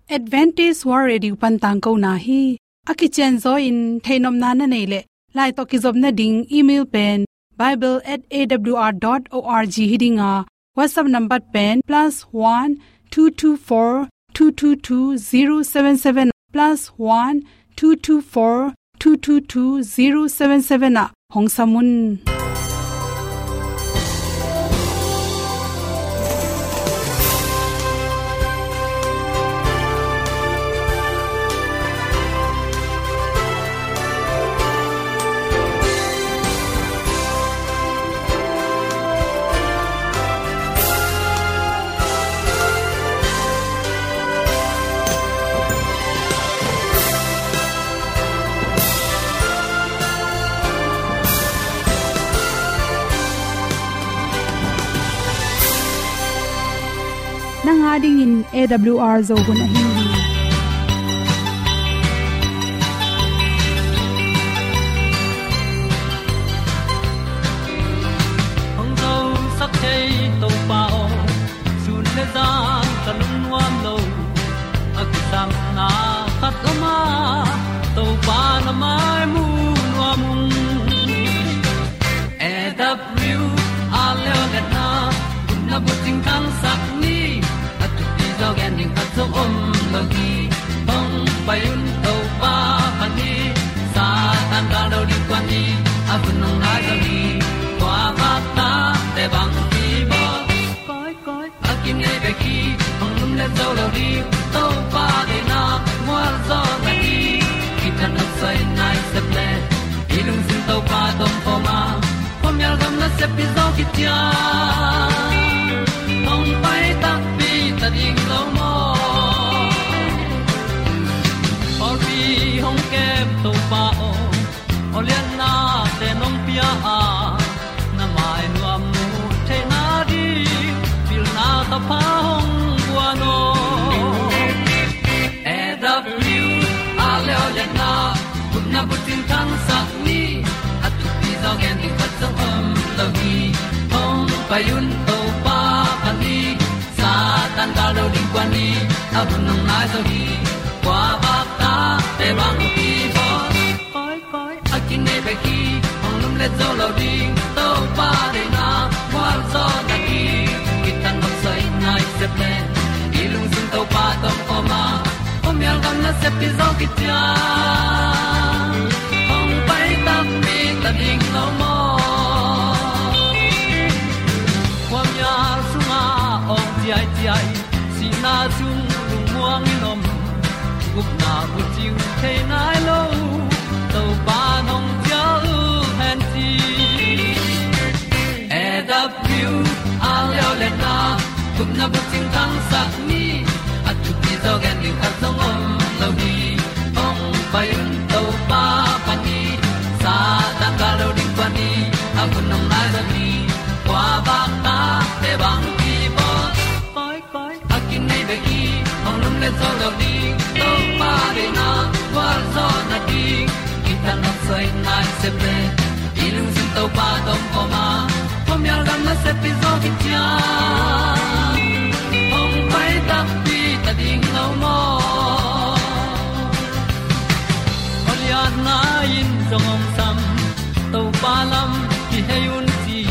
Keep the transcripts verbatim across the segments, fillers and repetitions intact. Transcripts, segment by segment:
Adventist World Radio pan tangkona hi. A kicianzaw in theihnopna na neih leh, lai tawh kizopna ding email pen bible at A W R dot org hi ding a, WhatsApp number pen plus one two two four two two two zero seven seven, plus one two two four two two two zero seven seven ah hong sam un. Nang a dingin A W R Zo hun ahi hi. Hong zosak thei Topa aw, sun le zan ka lungnuam lo. A kisapna khat om a, Topa na mai mu nuam ung. A W R Leo le na, na bucing thangsak ni, a thupi zaw gen ding khat zong om lo hi. Hong pai un Topa pan hi, Satan gal lo ding kuan hi, a hun hong nai zaw hi. Kua bak ta te bang hi bawl. Koi, koi, a kinei bek hi, hong lum le zo lo ding, Topa deihna mual zaw na hi. Kitang a soi nai sep le, i lungsim Topa tawh om khawm a, khuamial gam nasep pi zaw khit ciang, hong pai takpi ta ding lo maw. Pawlpi hong kem Topa aw, aw lianna te nong pia a, na mai nuam mu theihna ding, pilna ka pha hong guan aw. A W R Leo le na, gupna bucing thangsak ni, a thupi zaw gen ding khat zong om lo hi. Hong pai un Topa pan hi, Satan gal lo ding kuan hi, a hun hong nai zaw hi. Kua bak ta te bang hi bawl. Koi, koi, a kinei bek hi, hong lum le zo lo ding, Topa deihna mual zaw na hi. Kitang a soi nai sep le, i lungsim Topa tawh om khawm a, khuamial gam nasep pi zaw khit ciang, hong pai takpi ta ding lo maw. Khuamial sungah awng ciaiciai, sihna sung lungmuang in om, gupna bucing thei nai lo, Topa nong cial hen ci. A W R Leo le na, gupna bucing thangsak ni, a thupi zaw gen ding khat zong om lo hi. Hong pai un Topa pan hi, Satan gal lo ding kuan hi, a hun hong nai zaw hi. Kua bak ta te bang hi bawl. Koi, koi, a kinei bek hi, hong lum le zo lo ding, Topa deihna gualzawhna ding. Kitang a soi nai sep le, i lungsim Topa tawh om khawm a, khuamial gam nasep pi zaw khit ciang, hong pai takpi ta ding lo maw. Aw lianna in zong hong sam, Topa lam kihei un ci.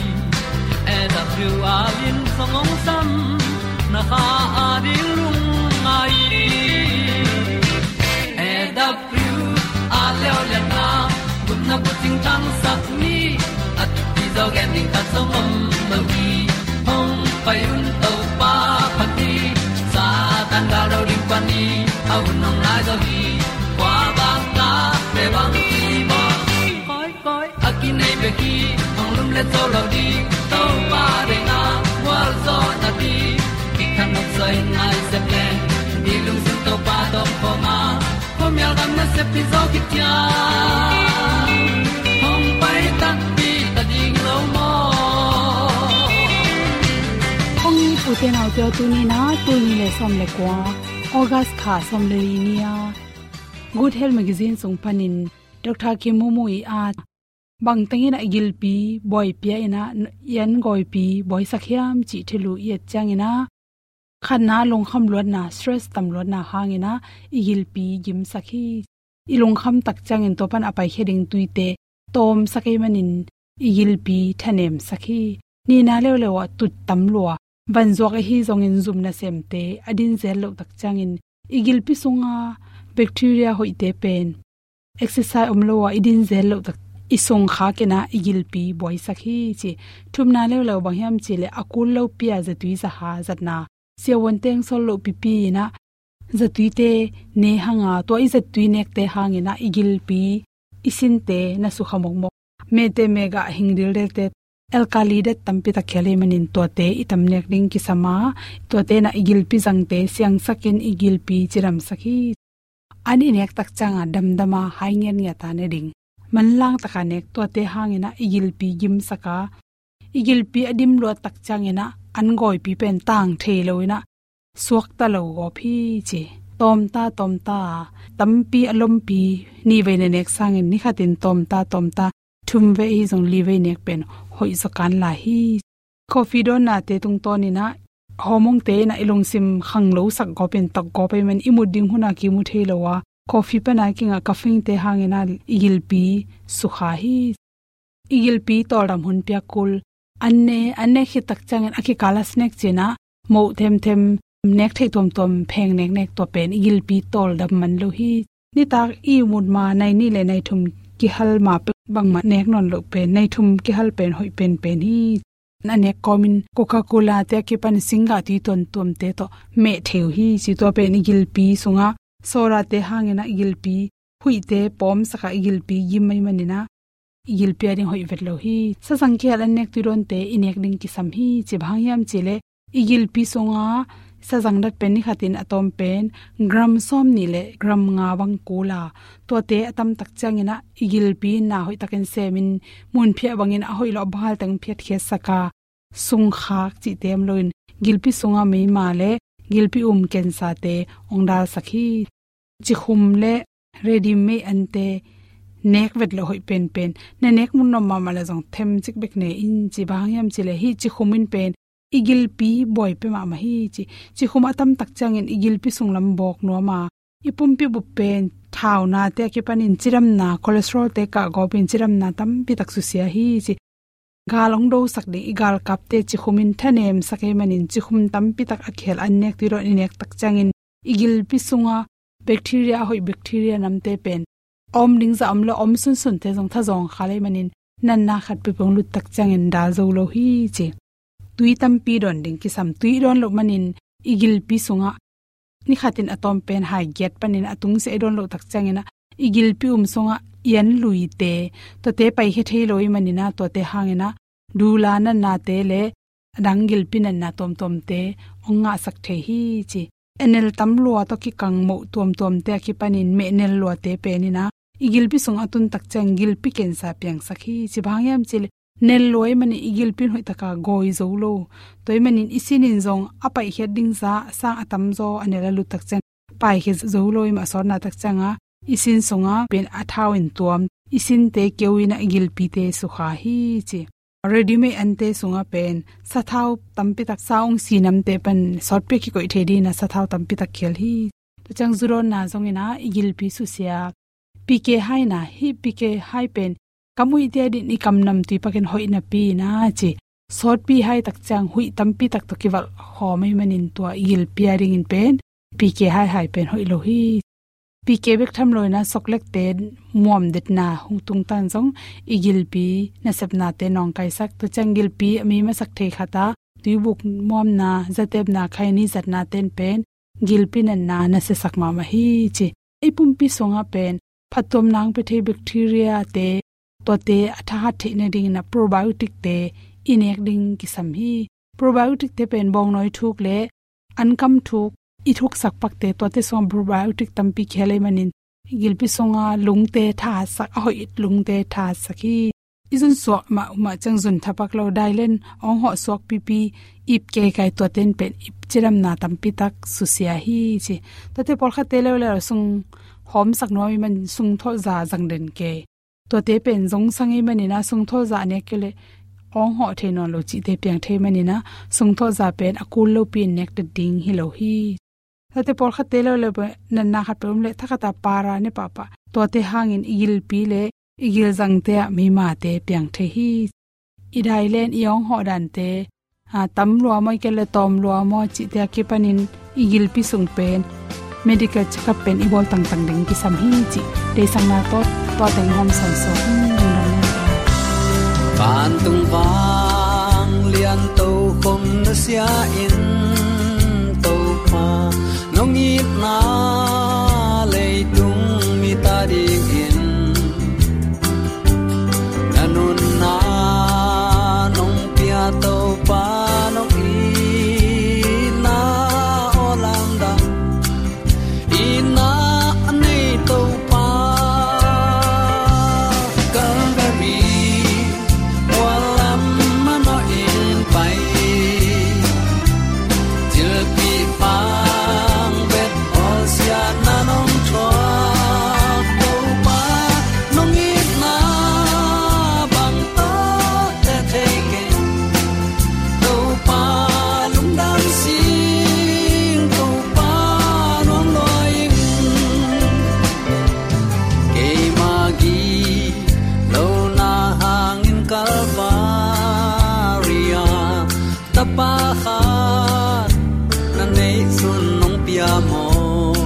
A W R in zong hong sam, na kha a ding lungngai. A W R Leo le na, gupna bucing thangsak ni, a thupi zaw gen ding khat zong om lo hi. Hong pai un Topa pan hi, Satan gal lo ding pan hi, a hun hong nai zaw hi. Kua bak ta te bang hi bawl. Koi, koi, a kinei bek hi, hong lum le zo lo ding, Topa deihna gualzawhna ding. Kitang a soi nai sep le, i lungsim Topa tawh om khawm a, khuamial gam nasep pi zaw khit ciang, hong pai takpi ta ding lo maw. Kong ute naute aw, tuni in ah tul nih le sawm le kua, August kha sawm le li ni a, Good Health Magazine sung panin Doctor Kim Mu Mu i at, bang tengin a gilpi buaipia in ah i an gawipi buaisak hiam cih thulu i et ciangin ah, Khatna, lungkham luatna, stress tam luatna hangin ah i gilpi gimsak hi. I lungkham tak ciangin tua pan a paikhia ding tuite tawmsak ahih manin i gilpi thanemsak hi. Nihna leuleu ah tut tam lua, vanzuak ahi zongin zum nasemte a din zel loh tak ciangin i gilpi sunga bacteria hoihte pen exercise om lo a i din zel loh tak i sung khakin ah i gilpi buaisak hi ci. Thumna leuleu bang hiam cih leh a kul lopi a zatui zaha zatna, siavuan teng sol loh pipi in ah zatuite ne hang a, tua i zatui nekte hangin ah i gilpi i sinte na sukha mokmok. Mehte mehgah hing dildelte alkali det tampi tak khel ahih manin tuate i tam nek ding kisam a, tuate in ah i gilpi zangte siangsakin i gilpi cidamsak hi. An i nek tak ciang a damdam a hai ngiatngiat a ne ding, manlang tak a nek, tuate hangin ah i gilpi gimsak a, i gilpi a dim luat tak ciangin ah an gawipi pen tang thei lo in ah suakta lo gawp hi ci. Tawmta tawmta, tampi a lompi, nihvei na nek sangin ni khatin tawmta tawmta, thumvei ahi zong livei nek pen hoih zaw kan lai hi. Coffee dawnnate tungtawnin ah hormone-te in ah i lungsim khanglosak gawpin, tak gawp ahih manin i mut ding hun a kimu thei lo a, coffee pan a kingah caffeine-te hangin ah i gilpi sukha hi. I gilpi tawldam hun piak kul. An ne, an nek khit tak ciangin a kikal a snack cih in ah moh themthem, nek theih tuamtuam pheng neknek, tua pen i gilpi tawldam man lo hi. Nitak i ihmut ma nai nih le nai thum kihal ma peuh, bangmah nek nawn loh pen, nai thum kihal pen hoih penpen hi. A nek kawmin Coca-Cola-te a kipan singgah tui tuamtuamte tawh meh thei uh hi ci. Tua pen i gilpi sungah soda-te hangin ah i gilpi huihte pawmsak a, i gilpi gim ahih manin ah i gilpi a ding hoih vet lo hi. Sazang kihel an nek tui dawnte i nek ding kisam hi ci. Bang hang hiam cih leh i gilpi sungah sazang dat pen ni khatin a tawm pen gram sawmnih le gram nga bang kul a, tuate a tam tak ciangin ah i gilpi na hoih takin semin, munphiah bangin a hoih lo a bang hal teng phiatkhiatsak a, sungkhak cihte om loin gilpi sunga meima le gilpi um cancer-te hong dalsak hi. Cikhum le ready-made ante nek vet loh hoih penpen. Na nek mun nuam mahmah leh zong themcik bek ne in ci. Bang hang hiam cih leh hih cikhum in pen i gilpi buai pia mahmah hi ci. Cikhum a tam tak ciangin i gilpi sung lam bawk nuam a, i pumpi bup pen thaunate a kipanin cidamna, cholesterol-te kah gawpin cidamna tampi tak susia hi ci. Gal hong dosak ding i galkapte cikhum in thanemsak ahih manin cikhum tampi tak a kihel an nek tui dawn i nek tak ciangin i gilpi sunga bacteria, a hoih bacteria namte pen a om ding zah om lo, a om sunsunte zong thazawng khal ahih manin natna khat peuhpeuh hong lut tak ciangin dal zo lo hi ci. Tui tampi dawn ding kisam. Tui i dawn loh manin i gilpi sungah ni khatin a tawm pen hai giat panin a tungsiah i dawn loh tak ciangin ah i gilpi um sungah i an luite, tuate paikhia thei lo ahih manin ah tuate hangin ah dula natnate le a dang gilpi natna tuamtuamte hong ngahsak thei hi ci. Enel tam lua tawh kikang moh tuamtuamte a kipanin mehnel luate pen in ah i gilpi sungah a tun tak ciang gilpi cancer piangsak hi ci. Bang hang hiam cih leh nel lua ahih manin i gilpi in hoih taka gawi zo lo. Tua ahih manin i sin in zong a paihkhiat ding zah sang a tamzaw a nel a lut tak ciang paihkhia zo lo ahih mah, a sawtna tak ciangah i sin sungah pen a thau in tuam, i sinte keu in ah i gilpite sukha hi ci. Ready-made ante sungah pen sathau tampi tak, sa ong si namte pan sawtpi a kikoih thei dingin ah sathau tampi tak khel hi. Tua ciang zu dawnna zongin ah i gilpi susia. P K hai na, hih P K hai pen kam huihte adingin i kam namtui pakin hoih napi in ah ci. Sawtpi hai tak ciang huih tampi tak tawh kivalh khawm ahih manin tua i gilpi adingin pen P K hai hai pen hoih lo hi. P K bek tham lo in ah soklekte muam detna hong tungtan zong i gilpi nasepnate nawngkaisak. Tua ciang gilpi a mi masak thei khat a tuibuk muamna, zatepna, khaini zatnate in pen gilpi natna nasiasak mahmah hi ci. I pumpi sungah pen phattuamna hong pia thei bacteria-te, tuate a thahat theih nadingin ah probiotic-te i nek ding kisam hi. Probiotic-te pen bawngnawi thuk le ankam thuk i thuksak pakte, tuate sungah probiotic tampi kihel ahih manin gilpi sunga lungte thahatsak, a hoih lungte thahatsak hi. I zunsuak mahmah ciang zun thapak lo, dailen hong hawh suak pipi, ip keikai, tuate in pen ip cidamna tampi tak susia hi ci. Tuate pawlkhatte leuleu sung hawmsak nuam ahih manin sungtholh za zang den kei. Tuate pen zongsang ahih manin ah sungtholh za a nek kei leh awng hawh thei nawn lo cihte piang thei manin ah, sungthawh za pen a kul lopi in nektat ding hi lo hi. Tate pawlkhatte lo le natna khat peuh om leh thakhat a para ne pahpah, tuate hangin i gilpi le i gilzangte ah meimate piang thei hi. I dai le in i awng hawh dante, a, tam lua maw, i ke le tawm lua maw cihte a kipanin i gilpi sung pen medical check-up pen i bawl tangtang ding kisam hi cih deihsakna tawh tua teng hawm sawnsawn. Vantung vanglian tokhom nusia in, Topa, nong itna leitung mite adingin, na nunna nong pia, Topa, nong itna aw lamdang, itna a nei Topa, Calvary mual lam manawh in pai. Thilpih pang bet bawlsiatna nong thuak, Topa, nong itna bang tawh te thei keng, Topa, lungdam sing, Topa, nuam lua ing. Keima gilo na hangin Calvary ah Tapa khat na neih sun nong pia maw?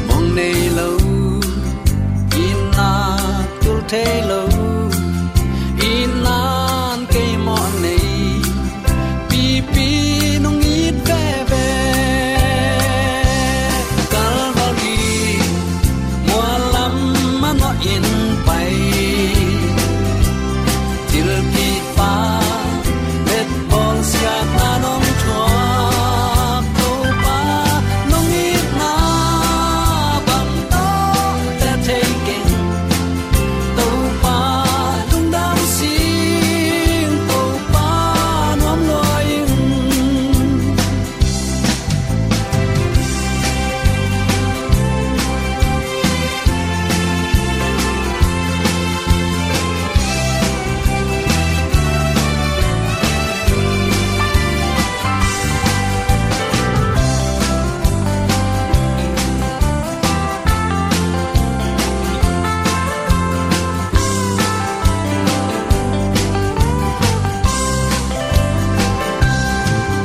Mong nei lo, itna tul thei lo, itna in kei mawh nei, pipi nong it veve. Calvary mual lam manawh in pai. Thilpih pang bet bawlsiatna nong thuak, Topa, nong itna bang tawh te thei keng, Topa, lungdam sing, Topa, nuam lua ing.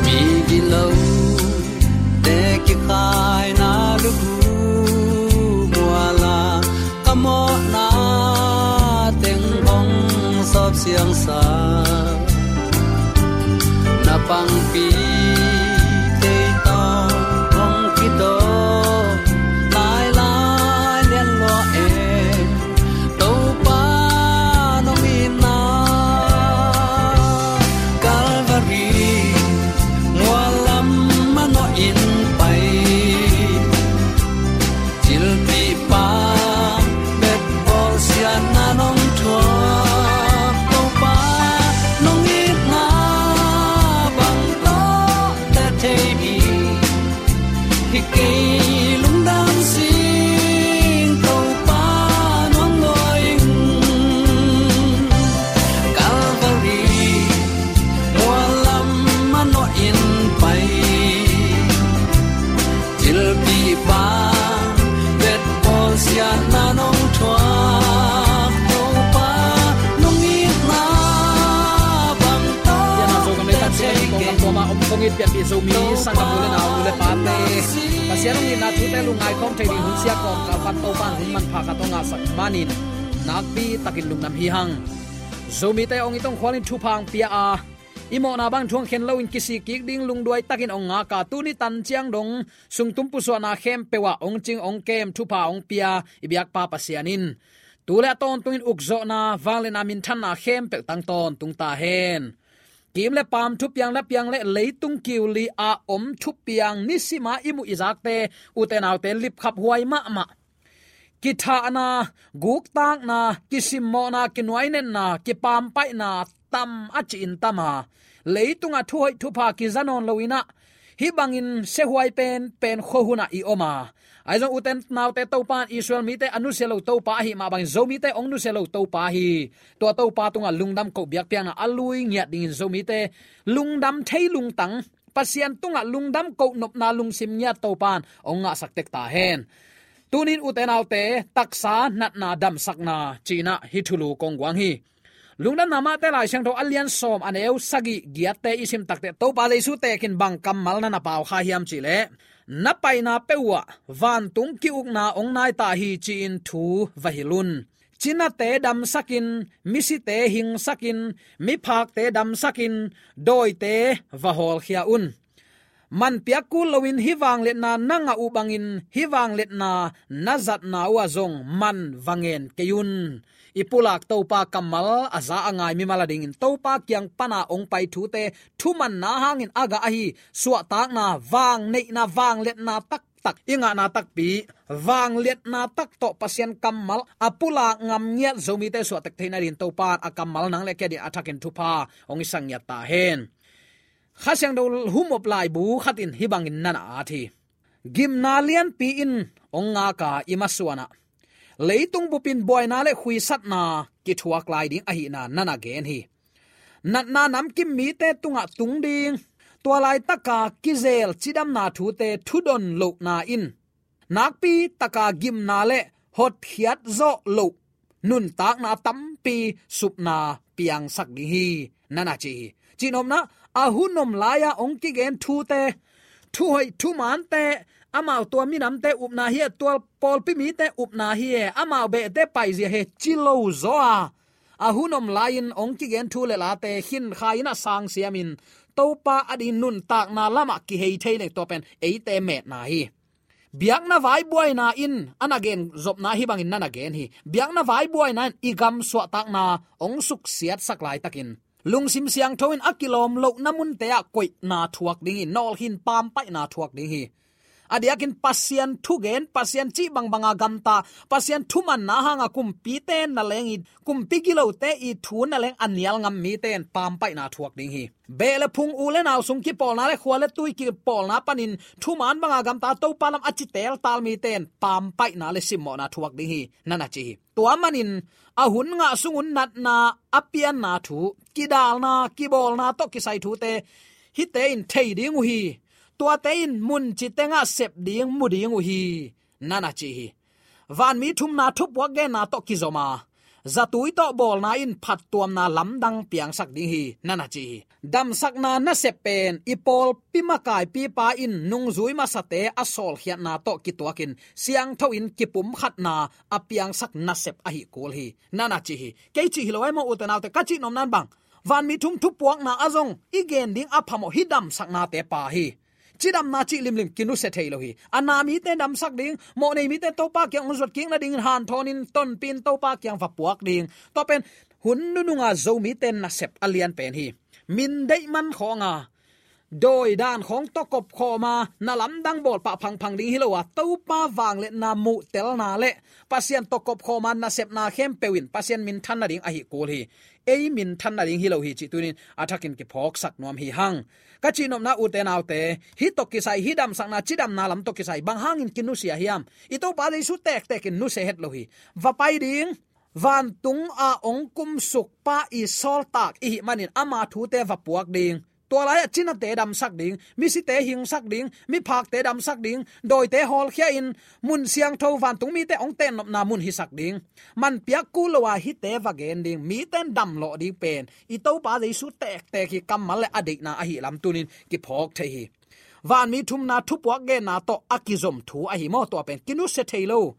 Mi gilo te kikhaina lukhu mual ah ka mawhna teng hong sawp siangsa, na pangpi tei tawh hong kitawk lailai lian lua e. Topa nong itna Calvary mual lam manawh in pai. Thilpih pang bet bawlsiatna nong thuak, Topa, nong itna bang tawh te thei ding hi kei, lungdam sing, Topa, nuam lua ing. Calvary mual lam manawh in pai. Thilpih pang bet bawlsiatna nong thuak, Topa, nong itna bang tawh te thei keng. Om kong it pianpih Zomi sanggam u le nau, u le pate, Pasian hong itna thute lungngai khawm thei ding hun sia kawm kalpan Topa in hun manpha khat hong ngahsak manin nakpi takin lungdam hi hang. Zomite hong it hong khualin thupha hong pia a, i mawhna bang thu hong khen loin kisik kik ding lungduai takin hong ngak a, tuni tan ciang dong sungtum pusuahna khempeuh ah hong cing hong kem, thupha hong pia i biakpa Pasian in tu le a tawntungin ukzawhna, vangliatna, minthanna khempeuh tang tawntung ta hen. Kiim le paam, thupiang le piang le leitung kiuli a om thupiang nisima i muh i zakte, ute naute, lipkhaphuai mahmah. Kithahna, guktakna, kisimmawhna, kinuainenna, kipampaihna tam a ci-in tam a, leitungah thuhoih thupha kiza nawn loin ah, Hih bangin siahuai pen pen khuahunah i om a, ahi zong ute naute, Topa in Israel mite a nusia lo Topa ahi mah bangin Zomite hong nusia lo Topa hi. Tua Topa tungah lungdam koh biakpiakna a lui ngiat dingin Zomite lungdam thei lungtang, Pasian tungah lungdam koh nopna lungsim ngiat Topa in hong ngahsak tek ta hen. Tunin ute naute, taksa natna damsakna cinah hih thulu kong guang hi. Lungdamna Mate Lai Siangtho a lian sawm, a neu sagih giatte i sim takteh Topa Jesu tekin bang kammal na na pau kha hiam cihleh, na paina peuh uh ah vantung ki-ukna hong nai ta hi, ci-in thu va hilh un. Cinate damsakin, misite hingsakin, miphakte damsakin, dawite va hawlkhia un. Man piak kul loin hih vangliatna na ngah uh bangin hih vangliatna na zatna uh ah zong man va ngen kei un. I pulak Topa kammal a za a ngai mimal a dingin Topa kiang pana hong pai thute thumanna hangin a gah ahi suahtakna, vangneihna, vangliatna taktak i ngahna takpi, vangliatna tak tawh Pasian kammal a pulak ngam ngiat Zomite suahtek theihna dingin Topa in a kammal nang le kei adingin a thakin thupha hong i sak ngiat ta hen. Kha Siangtho humop laibu khat in hih bangin na na at hi. Gimna lianpi in hong ngak a, i masuanah leitung bupin buaina le khuisatna kithuak lai ding ahihna na na gen hi. Natna namkim mite tungah tung ding, tua laitaka kizel cidamna thute thudon lohna in nakpi taka gimna le hotkhiat zawh loh nuntakna tampi supna piangsak ding hi, na na ci hi. Cihnopna, a hun om lai-a hong kigen thute, thuhoih thumaante, amau tua minamte upna hi a, tua pawlpi mite upna hi e, amau behte paizia hi e, ci lo zaw a, a hun om lai-in hong kigen thu le late khinkhai-in a sang siamin Topa adingin nuntakna lamah kihei thei leng, tua pen eite metna hi. Biakna vai buaina in a na gen zopna hih bangin na na gen hi. Biakna vai buaina in i gam suahtakna hong suksiatsak laitakin lungsim siangtho in a kilawm lohna munte ah koihna thuak ding hi. Nawlkhin pampaihna thuak ding hi. A diakin Pasian thugen, Pasian cih bangbanga gamta, Pasian thumanna hanga kumpite na leng i, kumpi gilote i thu na leng a nial ngam mite in pampaihna thuak ding hi. Beh le phung, u le nau sung kipawlna le khua le tui kipawlna panin thuman banga gamta Topa lam a ci teltal mite in pampaihna le simmawhna thuak ding hi, na na ci hi. Tua manin a hun ngah sungun natna a pianna thu, kidalna, kibawlna tawh kisai thute hihte in thei ding uh hi. Tuate in mun ci tengah sep ding, mu ding uh hi, na na ci hi. Vanmi thumna thupuak genna tawh kizom a, zatui tawh bawlna in phattuamna lamdang piangsak ding hi, na na ci hi. Damsakna nasep pen i pawlpi makaipipa in nungzui masate a sawlkhiatna tawh kituakin siangtho in kipumkhatna a piangsak nasep ahi kul hi, na na ci hi. Kei cih hi lo ai maw, ute naute, ka cihnopna in bang, vanmi thum thupuakna ah zong i gen ding a phamawh hih damsaknate pa hi. Cidamna cih limlim kinusia thei lo hi. A na mite damsak ding, mawhnei mite Topa kiang hong zuat kik nadingin hanthawnin tonpih in Topa kiang va puak ding. Tua pen hun nununga Zomite nasep a lian pen hi. Min deih man khawnga, dawi dan khawng tawh kopkhawma na lamdang bawlpah phangphang ding hi lo a, Topa vangliatna muhtelna le Pasian tawh kopkhawma nasepna khempeuh in Pasian minthan nading ahi kul hi. Ei minthan nading hi lo hi cih tunin a thakin kiphawksak nuam hi hang. Ka cihnopna, ute naute, hih tawh kisai, hih damsakna, cidamna lam tawh kisai bang hangin kinusia hiam? I Topa Jesu tektekin nusia het lo hi. Va pai ding, vantung ah hong kumsuk pa i sawltak i hih manin ama thute va puak ding. Tua lai-ah cinate damsak ding, misite hingsak ding, miphakte damsak ding, dawite hawlkhia in mun siangtho, vantung mite hong tennopna mun hisak ding. Man piak kul lo a hihte va gen ding, mite in damlawh ding pen i Topa Jesu tektek hi, kammal le a deihna ahi lam tunin kiphawk thei hi. Vanmi thumna thupuak genna tawh a kizom thu ahi maw, tua pen kinusia thei lo.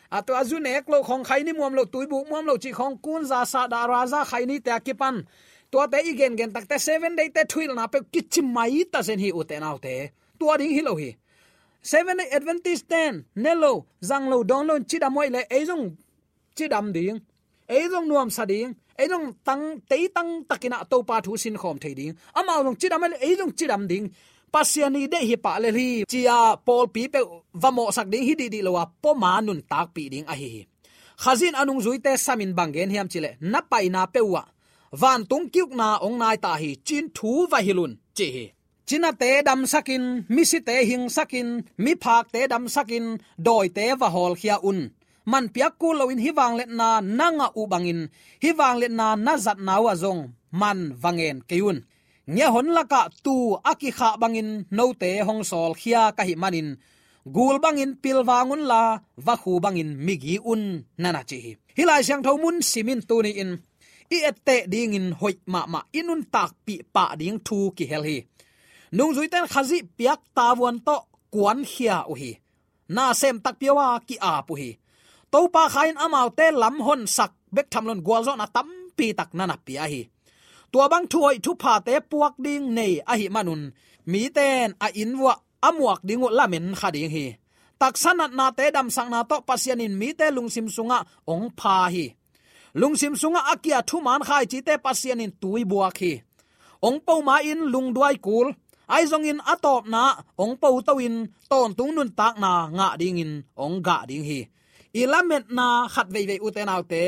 A tua zu nek loh khawng, khaini muam loh, tuibuk muam loh cih khawng, kunza, sahdah, raza, khainite a kipan tuate i gengen takte Seven Day te thuhilhna peuh kici mai ta zen hi, ute naute. Tua ding hi lo hi. Seven Day Adventist ten ne lo, zang lo, dawn lo in cidam uh ahih leh ei zong cidam ding, ei zong nuamsa ding, ei zong tang, teitang takin ah Topa thu sinkhawm thei ding. Amau zong cidam ahih leh ei zong cidam ding. Pasian i deih hi pah lel hi, ci-a pawlpi peuh va mawhsak ding hi dihdih lo a, poma nuntakpih ding ahi hi. Khazih in a nungzuite samin bang gen hiam cih leh, na paina peuh uh ah vantung ki-ukna hong nai ta hi, ci-in thu va hilh un, ci hi. cinate damsakin, misite hingsakin, miphakte damsakin, dawite va hawlkhia un. Man piak kul loin hih vangliatna na ngah uh bangin, hih vangliatna na zatna uh ah zong man va ngen kei un. Ngiahon lakah tuu a kikhah bangin note hong sawlkhia ka hih manin, gul bangin pilvang unla, vakhu bangin migi un, na na ci hi. Hih Lai Siangtho mun simin tuni-in i etteh dingin hoih mahmah, i nuntakpih pah ding thu kihel hi. Nungzuite in Khazih piak tavuan tawh kuankhia uh hi. Nasem takpi uh a ki-ap uh hi. Topa Kha in amaute lam honsak bek tham loin gualzawhna tampi tak na na pia hi. Tua bang thuhoih thuphate puak ding nei ahih manun, mite in a inn vuah a muak ding uh lamen kha ding hi. Taksa natnate damsakna tawh Pasian in mite lungsim sungah hong pha hi. Lungsim sungah a kia thuman khaicite Pasian in tui buak hi. Hong po ma-in lungduai kul, ahi zongin a tawpna hong po to-in tawntung nuntakna ngah dingin hong gah ding hi. I lametna khat veivei, ute naute,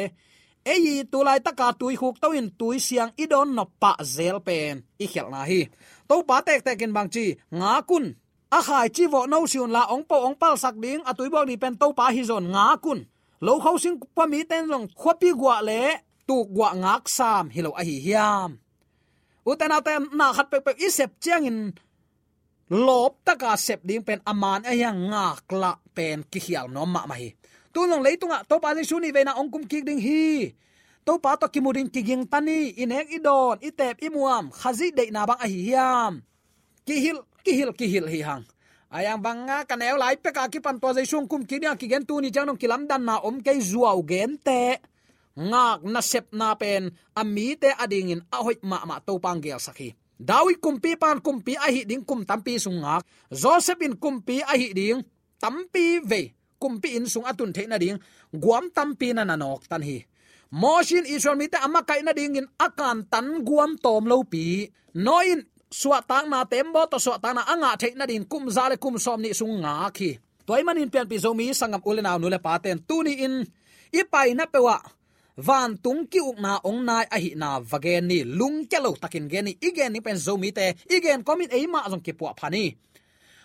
ei i tu laitaka tuikhuk to-in tuisiang i dawn nop pah zel pen i khialhna hi. Topa tektekin bangci, ngak un. A khaici vawh no si unla, hong po hong palsak ding, a tuibuak ding pen Topa hi zawn, ngak un. Lokho sing pua mite in zong khuapi guah le tuk guah ngak sam hi lo ahi hiam? Ute naute, na khat peuhpeuh i sep ciangin lawptaka sep ding pen a man ahi a, ngaklah pen kikhial nuam mahmah hi. Tu zong leitungah Topa Jesu nih veina hong kum kik ding hi. Topa tawh kimu ding kigingta ni, i nek i dawn, i teep i muam, Khazih deihna bang ahi hiam? Kihilh, kihilh, kihilh hi hang. A yang banga ka neu lai peka kipan tua Jesu hong kum kik ding a kigen tuni ciang dong kilamdanna om kei, zuau gente. Ngak nasepna pen a mite a dingin a hoih mahmah Topa hong gelsak hi. David kumpipa in kumpi ahih ding kum tampi sung ngak. Joseph in kumpi ahih ding tampi vei kumpi inn sung a tun theih nading guam tampi na na nawktan hi. Mosi in Israel mite a makaih nadingin a kantan guam tawm lopi, Noah in suahtakna, tembaw tawh suahtakna a ngah theih nadingin kum za le kum sawmnih sung ngak hi. Tua ahih manin pianpih Zomi sanggam u le nau, nu le pate in tuni-in i paina peuhah vantung ki-ukna hong nai ahihna va gen ni. Lungkia lo takin gen ni. I gen ding pen Zomite, i gen kawmin eimah zong kipuahpha ni.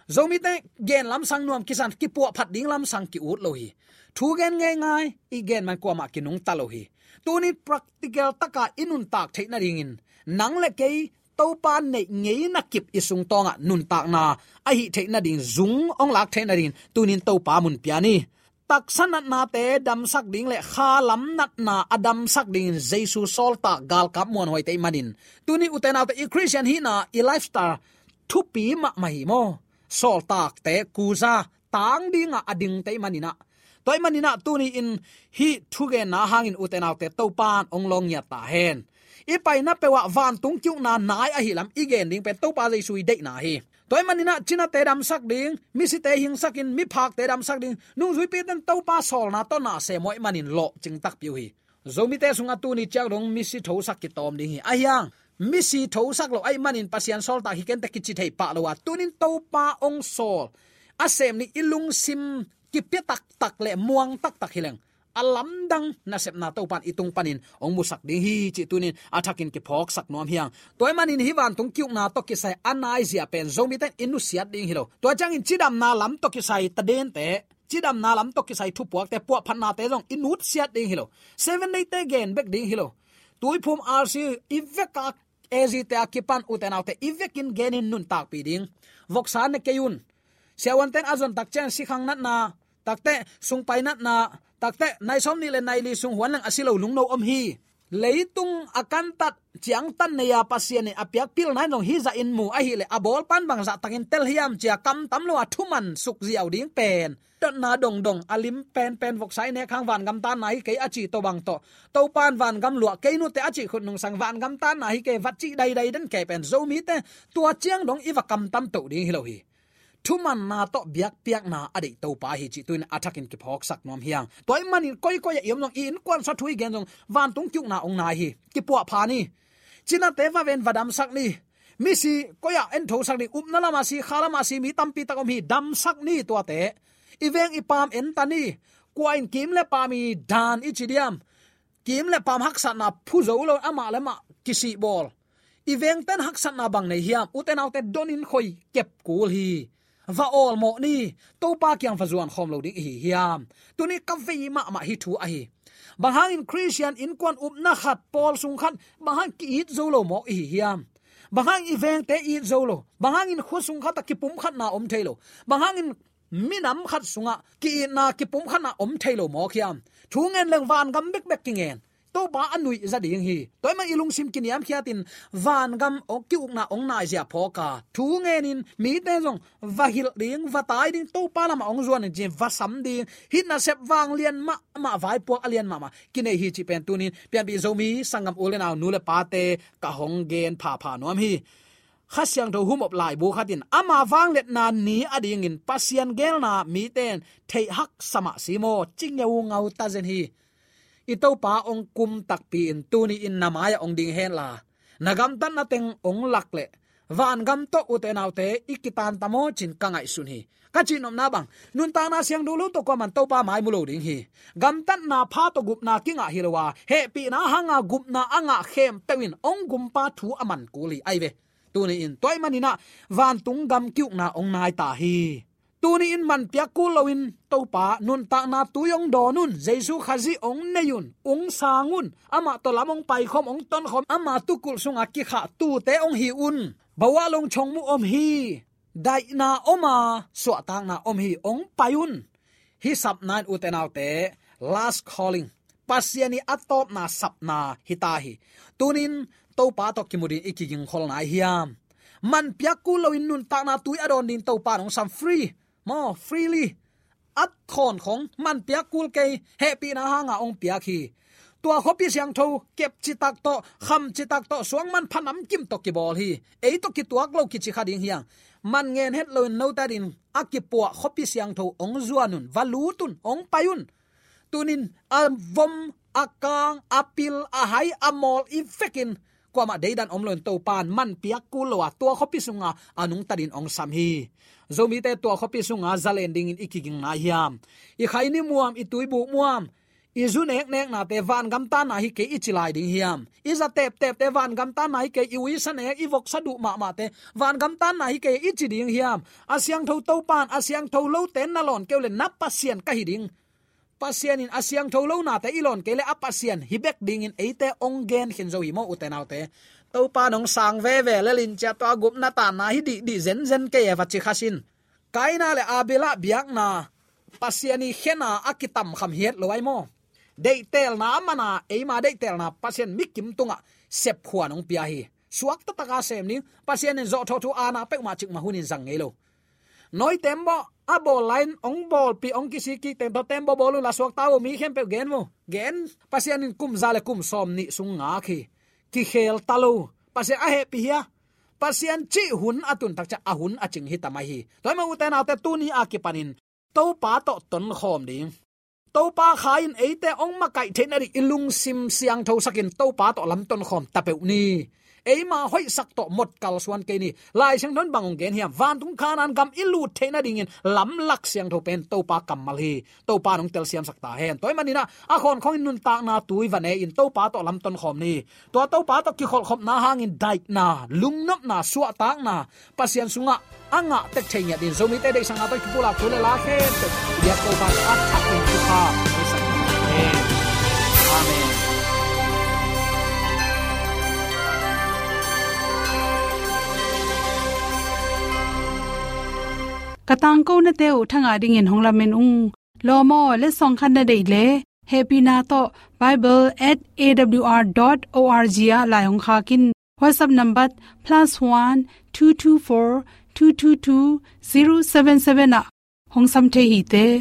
Zomite gen lamsang nuam kisa in, kipuahphat ding lamsang ki-ut lo hi. Thu gen ngeingai i gen man kuamah kinungta lo hi. Tuni practical taka i nuntak theih nadingin nang le kei Topa neih ngeina kip i sungtawngah nuntakna ahih theih nading, zung hong lak theih nadingin tunin Topa mun pia ni. Taksa natnate damsak ding le khalam natna a damsak dingin Jesu sawltak galkap muanhuaite i hih manin, tuni ute naute, i Khristian hihna, i lifestyle thupi mahmah hi maw? Sawltakte kuza tang dingah a dingte i hih maninah, tua i hih maninah tuni-in hih thugenna hangin ute naute, Topa in hong lawng ngiat ta hen. I paina peuhah vantung ki-ukna nai ahi lam i gen ding pen Topa Jesu i deihna hi. Tua i hih maninah cinate damsak ding, misite hingsakin miphakte damsak ding, nungzuipite in Topa sawlna tawh na sem uh ahih manin lawhcing takpi uh hi. Zomite sungah tuni ciang dong misi thosak kitawm ding hi. Ahi hang misi thosak lo ahih manin Pasian sawltak hi kente kici thei pah lo a, tunin Topa hong sawl a sem nih i lungsim kipia taktak le muang taktak hi leng, a lamdang nasepna Topa in i tung panin hong musak ding hi cih tunin a thakin kiphawksak nuam hi hang. Tua i hih manin hih vantung ki-ukna tawh kisai a naizia pen Zomite in i nusiat ding hi lo. Tua ciangin cidamna lam tawh kisai tadente, cidamna lam tawh kisai thupuakte, puahphatnate zong i nutsiat ding hi lo. Seven Day-te gen bek ding hi lo. Tuiphum R C i veka A Z-te a kipan ute naute i vekin genin nuntakpih ding. Voksa ne kei un. Siavuanten a zon tak ciang sikhang natna, takteh sungpai natna, takteh nai sawmnih le nai li sung huan leng a si lo lungno om hi. Leitung a kantat ciangtan nei-a Pasian in a piak pilna in zong hih zahin mu ahih leh a bawlpan bang zahtakin tel hiam ci-a kamtam lo a thuman sukziau ding pen dotna dongdong a lim penpen voksa i nek hang vangam tanna hi kei a cih tawh bang tawh, Topa in vangam luah kei nute a cih khut nungsang vangam tanna hi kei vat cih daidai den kei pen Zomite tua ciang dong i va kamtam toh ding hi lo hi. Thumanna tawh biakpiakna a deih Topa hi cih tuin a thakin kiphawksak nuam hi hang. Tua i hih manin koikoi ah i om zong, i innkuan sa thu i gen zong vantung ki-ukna hong nai hi. Kipuahpha ni. Cinate va ven, va damsak ni. Misi koi-ah en thosak ni. Upna lamah si, kha lamah si, mi tampi tak om hi. Damsak ni tuate. I veng i paam en ta ni. Kua in kim le paam i dan i ci diam? Kim le paam haksatna phu zo lo, amah le amah kisihbawl. I vengten haksatna bang nei hiam? Ute naute, donin khoi kep kul hi. Va awlmawh ni. Topa kiang va zuan khawm lo ding i hi hiam? Tuni ka vei mahmah hih thu ahi. Bang hangin Khristian innkuan upna khat, pawl sung khat, bang hang ki-it zo lo mawk i hi hiam? Bang hang i vengte it zo lo? Bang hangin khua sung khat a kipumkhatna om thei lo? Bang hangin minam khat sungah ki-itna, kipumkhatna om thei lo mawk hiam? Thu ngen leng vangam bekbek kingen. Topa a nuih za ding hi. Tua ahih manin i lungsim kiniamkhiatin vangam ong ki-ukna ong naizia phawk a, thu ngenin mite zong va hilh ding, va tai ding, Topa lamah ong zuan in cin va sam ding. Hih nasep vanglian mahmah, vaipuak a lian mahmah kinei hi cih pen tunin pianpih Zomi sanggam u le nau, nu le pate ka hong gen phapha nuam hi. Kha Siangtho humop laibu khatin ama vangliatna ni adingin Pasian geelna mite in theih haksa mah si maw, ci ngeungau ta zen hi. I Topa ong kum takpi-in tuni-in na mai-ah ong ding henla, na gamtatna teng ong lak leh vangam tawh, ute naute, i kitan ta maw cin ka ngaihsun hi. Ka cihnopna bang, nuntakna siangtho lo tawh kuaman Topa mai mu lo ding hi. Gamtatna pha tawh gupna kingah hi lo a, hehpihna hanga gupna a ngah khempeuh in ong gumpa thu a man kul hi. Ai ve, tuni-in tua ahih manin ah vantung gam ki-ukna ong nai ta hi. Tuni-in man piak kul loin Topa nuntakna tui ong dawn un, Jesu Khazih ong nei un, ong sang un, amah tawh lam ong paikhawm, ong tonkhawm, ama tukulh sunga kikhah tuute ong hi un. Bawah long chong mu om hi. Daihna om a, suahtakna om hi, ong pai un. Hih sapna in, ute naute, last calling, Pasian ii a tawpna sapna hi ta hi. Tunin Topa tawh kimu ding i kigingkhol nai hiam? Man piak kul loin nuntakna tui a dawn ding Topa in ong sam, free maw, freely. A thawn khong man piak kul kei, hehpihna hanga ong piak hi. Tua khuapi siangtho kep citak tawh, kham citak tawh, suang manpha namkim tawh kibawl hi. Ei tawh kituak lo kici kha ding hiam? Man ngen het loin note adingin a kipuah khuapi siangtho ong zuan un, va lut un, ong pai un. Tunin a vom, a kang, a pil, a hai, a mawl i vekin kuamah deidan om loin Topa in man piak kul lo a, tua khuapi sunga a nungta dingin ong sam hi. Zomite tua khuapi sunga zalen dingin i kiging nai hiam? I khaini muam, i tuibuk muam, i zu nekneknate vangam tanna hi kei i ci lai ding hiam? I za teptepte vangam tanna hi kei, i uisa nek, i voksa duh mahmahte vangam tanna hi kei i ci ding hiam? A siangtho Topa in a siangtho lote na lawn kei uh leh na Pasian ka hi ding, Pasian in a siangtho lo nate i lawn kei leh a Pasian hi bek dingin eite ong gen khin zo hi maw, ute naute. Topa in ong sang veve lel in, cia tua gupna tanna hi dihdih zenzen kei e, va ci kha sin. Kaina le Abela biakna Pasian ii khena a kitamkham hiat lo ai maw? Deihtelna a mana, eima deihtelna Pasian mikim tungah sepkhua in ong pia hi. Suak taktaka sem ding, Pasian in zawhthawh thu aana peuhmah cikmah hunin zang ngei lo. Nawi tembaw a bawl lai-in ong bawlpih, ong kisik kik teng tawh tembaw bawl unla suakta uh, mi khempeuh gen uh. Gen, Pasian in kum za le kum sawmnih sung ngak hi. Kikhel ta lo. Pasian a hehpih hia? Pasian cih hun a tun tak ciang a hun a cing hi ta mai hi. Tua ahih manin ute naute, tuni a kipanin Topa tawh tonkhawm ding. Topa Kha in eite ong makaih theih nading i lungsim siangthosakin Topa tawh lam tonkhawm ta peuh ni. Eima hoihsak tawh mawk kalsuan kei ni. Lai Siangtho in bang ong gen hiam? Vantung Kanaan gam i lut theih nadingin lamlak siangtho pen Topa kammal hi. Topa in ong telsiamsak ta hen. Tua ahih manin ah a khawnkhongin nuntakna tui va ne-in Topa tawh lam tonkhawm ni. Tua Topa tawh kikholhkhopna hangin daihna, lungnopna, suahtakna Pasian sungah a ngah tek thei ngiat dingin Zomite Deihsakna tawh kipulak thu le la khempeuh i biak Topa in a thak ding thupha hong pia sak hen. Amen. Ka tangkonate uh thangah dingin hong lamen ung. Lawm aw, letsong khat na deih leh, hehpihna tawh bible at A W R dot O R G ah lai hong khak in. WhatsApp number plus one two two four two two two zero seven seven ah hong sam thei hi te.